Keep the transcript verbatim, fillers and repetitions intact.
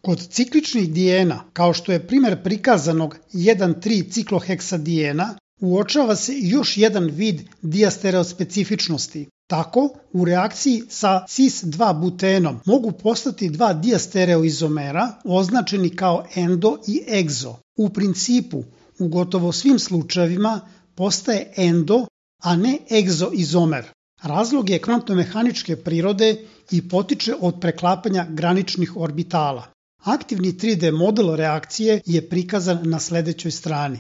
Kod cikličnih dijena, kao što je primjer prikazanog jedan tri cikloheksadijena, uočava se još jedan vid dijastereospecifičnosti. Tako, u reakciji sa cis dva butenom mogu postati dva dijastereoizomera označeni kao endo i egzo. U principu, u gotovo svim slučajevima postaje endo, a ne egzoizomer. Razlog je kvantno-mehaničke prirode i potiče od preklapanja graničnih orbitala. Aktivni tri D model reakcije je prikazan na sledećoj strani.